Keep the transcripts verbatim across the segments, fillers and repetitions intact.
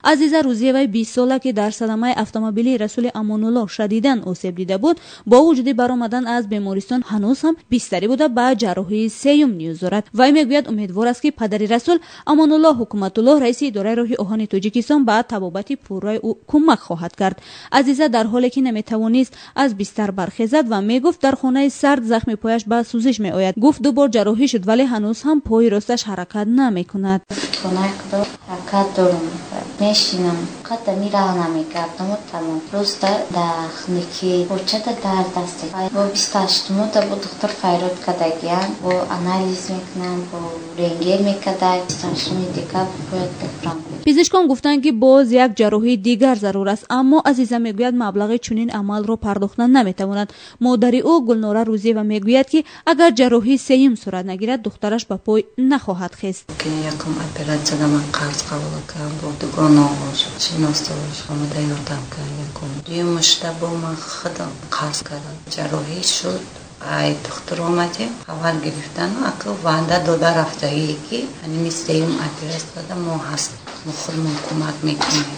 Азиза Рузиеваи бистсола, ки дар садамаи автомобилии Расули Амонуллоҳ шадидан осеб дида буд, бо вуҷуди баромадан аз бемористон ҳанӯз ҳам бистарӣ буда, ба ҷарроҳии сеюм ниёз дорад. Вай мегӯяд, умедвор аст, ки падари Расул Амонуллоҳ Ҳукуматуллоҳ, раиси идораи роҳи оҳани Тоҷикистон, ба табобати пурраи ӯ кӯмак хоҳад кард. Азиза дар ҳоле ки наметавонист аз бистар бархезад ва мегуфт, дар хонаи сард захми пояш ба сӯзиш меояд. Гуфт, ду бор ҷарроҳӣ шуд, вале ҳанӯз ҳам пои росташ ҳаракат намекунад. Ҳаракат дорум, мешинам, қадами раҳ намегардаму тамом. Просто дар хунукӣ почада дард аст. Бо бисту ҳаштумода бо духтур файрод кардагиян, бо анализ мекунам, бо рентген мекарда. Бисту ҳаштуми декабр бояд бихӯрам. Пизишкон гуфтанд, ки боз як ҷарроҳии дигар зарур аст, аммо Азиза мегӯяд, маблағи чунин амалро пардохта наметавонад. Модари ӯ Гулнора Рӯзиева мегӯяд, ки агар ҷарроҳии сеюм сурат нагирад, духтараш ба пой нахоҳад хест. Якум оператсияда ман қарз қабул кардам, бо дугонаош, шиносош омада ёрдам кард. Якум, дуюмашда бо ман худам қарз кардам. Ҷарроҳӣ шуд, ай духтур омадем, хабар гирифтану аку ваъда дода рафтагие, ки ҳаними сеюм оператсияда мо ҳаст, мо худмон кӯмак мекунем.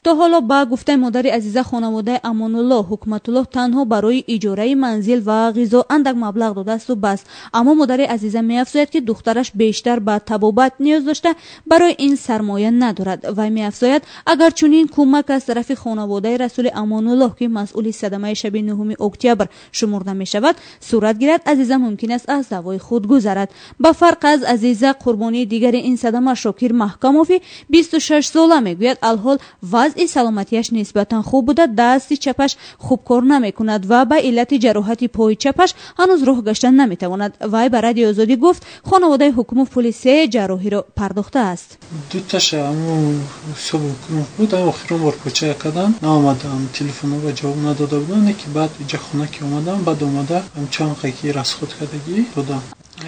То ҳоло, ба гуфтаи модари Азиза, хонаводаи Амонуллоҳ Ҳукматуллоҳ танҳо барои иҷораи манзил ва ғизо андак маблағ додаасту бас. Аммо модари Азиза меафзояд, ки духтараш бештар ба табобат ниёз дошта, барои ин сармоя надорад. Вай меафзояд, агар чунин кӯмак аз тарафи хонаводаи Расули Амонуллоҳ, ки масъули садамаи шаби нуҳуми октябр шумурда мешавад, сурат гирад, Азиза мумкин аст аз даъвои худ гузарад. Ба фарқ аз Азиза, қурбонии дигари ин садама, Шокир Маҳкамови бисту шаш сола, мегӯяд, алҳол вазъи саломатиаш нисбатан хуб буда, дасти чапаш хуб кор намекунад ва ба иллати ҷароҳати пои чапаш ҳанӯз роҳ гашта наметавонад. Вай ба Радиои Озодӣ гуфт, хонаводаи Ҳукумов пули се ҷарроҳиро пардохтааст. Дуташа ҳамун ҳисоби Ҳукумов буд. Охирон бор почая кардам, наомадам, телефонҳо ҷавоб надода будам, не ки баъд иҷа хона ки омадам, баъд омада чанд ки расход кардагӣ додам.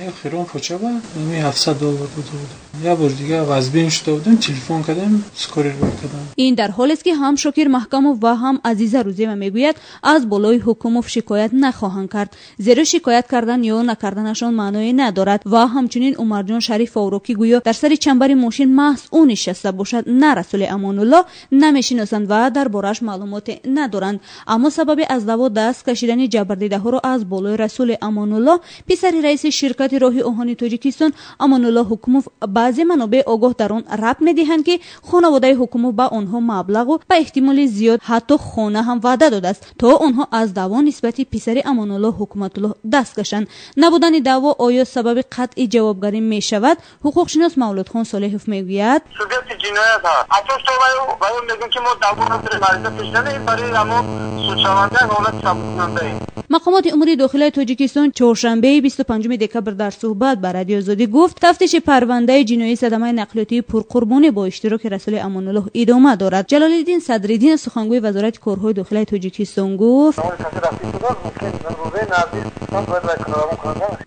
Охирон поча ба ами ҳафтсад доллар дода будам. Як бор дига вазбин шуда будем, телефон кардем, скорый рӯй кардам. Ин дар ҳолест, ки ҳам Шокир Маҳкамов ва ҳам Азиза Рӯзиева мегӯяд, аз болои Ҳукумов шикоят нахоҳанд кард, зеро шикоят кардан ё накарданашон маъное надорад. Ва ҳамчунин Умарҷон Шарифовро, ки гӯё дар сари чамбари мошин маҳз ӯ нишаста бошад, на Расули Амонуллоҳ, намешиносанд ва дар борааш маълумоте надоранд. Аммо сабаби аз даъво даст кашидани ҷабрдидаҳоро аз болои Расули Амонуллоҳ, писари раиси ширкати роҳи оҳани Тоҷикистон Амонуллоҳ Ҳукумов, баъзе манобеи огоҳ дар он рабт медиҳанд, ки хонаводаи Ҳукумов ба онҳо маблағу ба эҳтимоли зиёд ҳатто хона ҳам ваъда додааст, то онҳо аз даъво нисбати писари Амонуллоҳ Ҳукуматуллоҳ даст кашанд. Набудани даъво оё сабаби қатъи ҷавобгарӣ мешавад? Ҳуқуқшинос Мавлудхон Солеҳов мегӯяд: Субъекти ҷиноят ҳаст асос то ваё мегӯем, ки мо даъво надорем, ариза пешнадем, барои ҳамон судшаванда ҳолати сабуккунандаем. Мақомоти умури дохилаи Тоҷикистон чоршанбеи бисту панҷуми декабр дар суҳбат ба Радиои Озодӣ гуфт, тафтиши парвандаи ҷиноии садамаи нақлиётии пурқурбонӣ бо иштироки Расули Амонуллоҳ идома дорад. Ҷалолиддин Садриддин, сухангӯи Вазорати корҳои дохилаи Тоҷикистон, гуфт,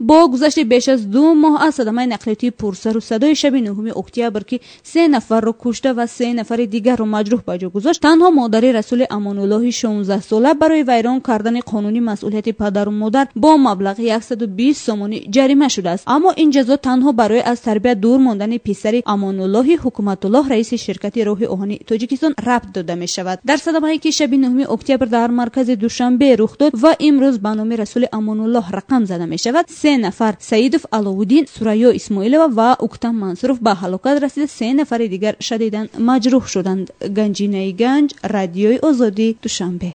бо гузашти беш аз ду моҳ аз садамаи нақлиётии пурсару садои шаби нуҳуми октябр, ки се нафарро кушта ва се нафари дигарро маҷрӯҳ ба ҷо гузошт, танҳо модари Расули Амонуллоҳи шонздаҳсола барои вайрон кардани қонуни масъулияти падару модар бо маблағи яксаду бист сомонӣ ҷарима шудааст. Аммо ин ҷазо танҳо барои аз тарбия дур мондани писари Амонуллоҳи Ҳукуматуллоҳ, раиси ширкати роҳи оҳани Тоҷикистон, рабт дода мешавад. Дар садамае, ки шаби нуҳуми октябр дар маркази Душанбе рух дод ва имрӯз ба номи Расули Амонуллоҳ рақам зада мешавад, се нафар, Саидов Аловуддин, Сурайё Исмоилова ва Уктам Мансуров, ба ҳалокат расида, се нафари дигар шадидан маҷрӯҳ шуданд. Ганҷинаи Ганҷ, Радиои Озодӣ, Душанбе.